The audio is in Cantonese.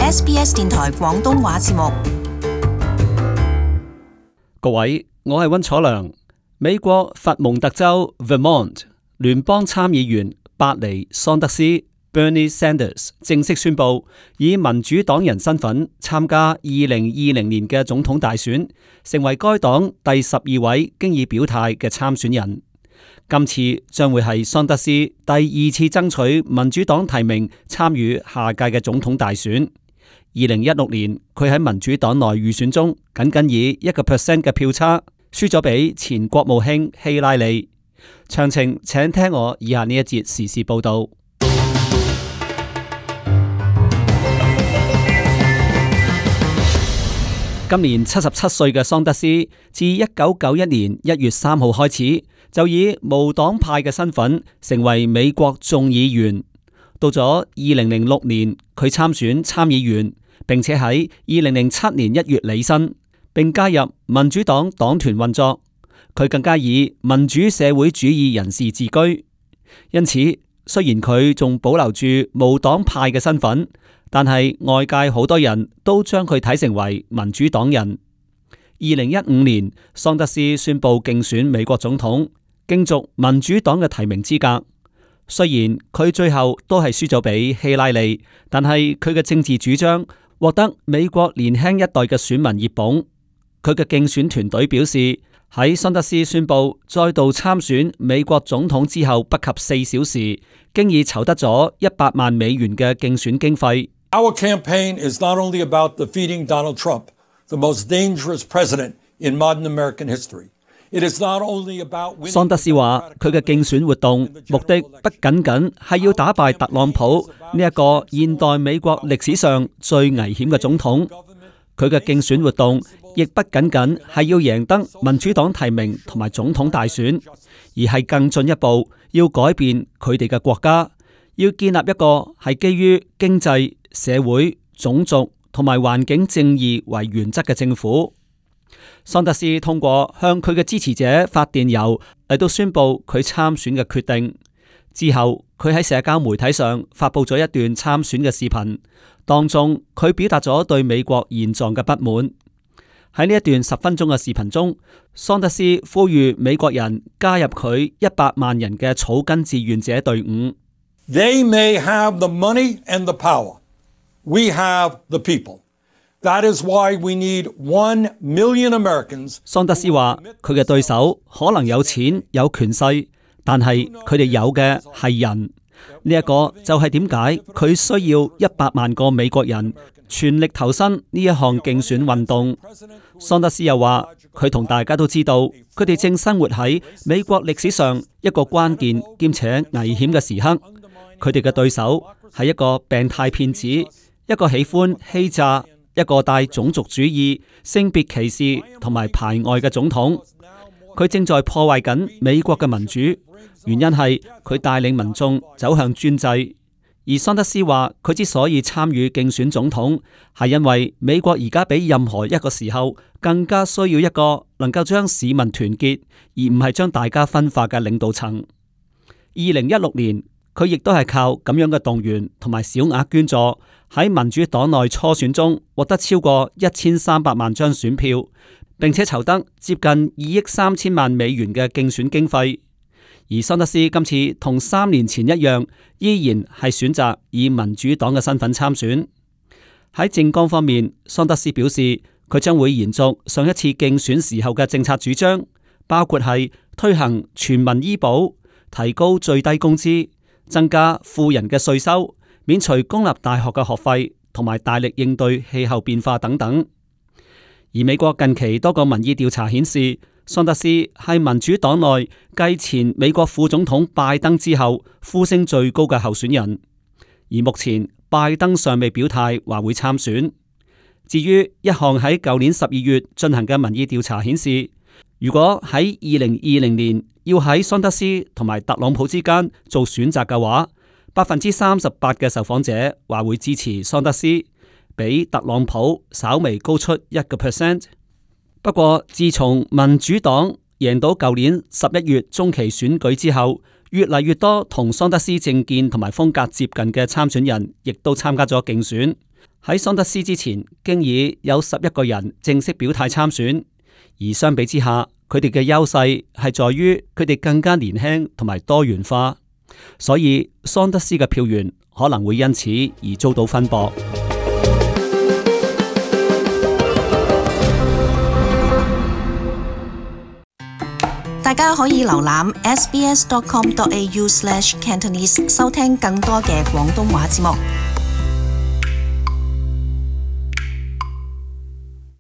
SBS 電台廣東話節目。各位，我係溫楚良。美國佛蒙特州 Vermont 聯邦參議員伯尼桑德斯 Bernie Sanders 正式宣布以民主黨人身份參加2020年嘅總統大選，成為該黨第12位經已表態嘅參選人。今次將會係桑德斯第2次爭取民主黨提名參與下屆嘅總統大選。2016年佢喺民主黨內預選中僅僅以1% 嘅票差輸咗俾前國務卿希拉里。詳情請聽我以下呢一節時事報道。今年77歲嘅桑德斯，自1991年1月3號開始就以無黨派嘅身份成為美國眾議員。到咗2006年，佢參選參議員，並且喺2007年1月履新，並加入民主黨黨團運作。佢更加以民主社會主義人士自居。因此，雖然佢仲保留住無黨派嘅身份，但係外界好多人都將佢睇成為民主黨人。2015年，桑德斯宣布競選美國總統，競逐民主黨嘅提名資格。雖然佢最後都係輸咗俾希拉里，但係佢嘅政治主張獲得美國年輕一代嘅選民熱捧。佢嘅競選團隊表示，喺桑德斯宣布再度參選美國總統之後不及4小時，經已籌得咗100萬美元嘅競選經費。Our campaign is not only about defeating Donald Trump, the most dangerous president in modern American history. It is not only about 桑德斯話，佢嘅競選活動目的不僅僅係要打敗特朗普呢一個現代美國歷史上最危險嘅總統，佢嘅競選活動亦不僅僅係要贏得民主黨提名同埋總統大選，而係更進一步要改變佢哋嘅國家，要建立一個係基於經濟、社會、種族同埋環境正義為原則嘅政府。桑德斯通過向佢嘅支持者發電郵嚟到宣布佢參選嘅決定。之後，佢喺社交媒體上發佈咗一段參選嘅視頻，當中佢表達咗對美國現狀嘅不滿。喺呢一段10分鐘嘅視頻中，桑德斯呼籲美國人加入佢100萬人嘅草根志願者隊伍。They may have the money and the power. We have the people. That is why we need 1 million Americans. 桑德斯話，佢嘅對手可能有錢有權勢，但係佢哋有嘅係人。呢一個就係點解佢需要100萬個美國人全力投身呢一項競選運動。桑德斯又話，佢同大家都知道，佢哋正生活喺美國歷史上一個關鍵兼且危險嘅時刻。佢哋嘅對手係一個病態騙子，一個喜歡欺詐，一個帶種族主義、性別歧視同埋排外嘅總統。佢正在破壞緊美國嘅民主，原因係佢帶領民眾走向專制。而桑德斯話，佢之所以參與競選總統，係因為美國而家比任何一個時候更加需要一個能夠將市民團結，而唔係將大家分化嘅領導層。2016年，佢亦都係靠咁樣嘅動員同埋小額捐助，喺民主黨內初選中獲得超過1300萬張選票，並且籌得接近2億3千萬美元嘅競選經費。而桑德斯今次同3年前一樣，依然係選擇以民主黨嘅身份參選。喺政綱方面，桑德斯表示佢將會延續上一次競選時候嘅政策主張，包括係推行全民醫保、提高最低工資、增加富人嘅稅收、免除公立大學嘅學費，同埋大力應對氣候變化等等。而美國近期多個民意調查顯示，桑德斯係民主黨內繼前美國副總統拜登之後呼聲最高嘅候選人。而目前拜登尚未表態話會參選。至於一項喺舊年12月進行嘅民意調查顯示，如果喺2020年要喺桑德斯同埋特朗普之間做選擇嘅話，38%嘅受訪者話會支持桑德斯，比特朗普稍微高出1%。不過，自從民主黨贏到舊年11月中期選舉之後，越嚟越多同桑德斯政見同埋風格接近嘅參選人，亦都參加咗競選。喺桑德斯之前，經已有11個人正式表態參選，而相比之下，佢哋嘅優勢係在於佢哋更加年輕同埋多元化，所以桑德斯嘅票源可能會因此而遭到分薄。大家可以瀏覽 sbs.com.au/cantonese 收聽更多嘅廣東話節目。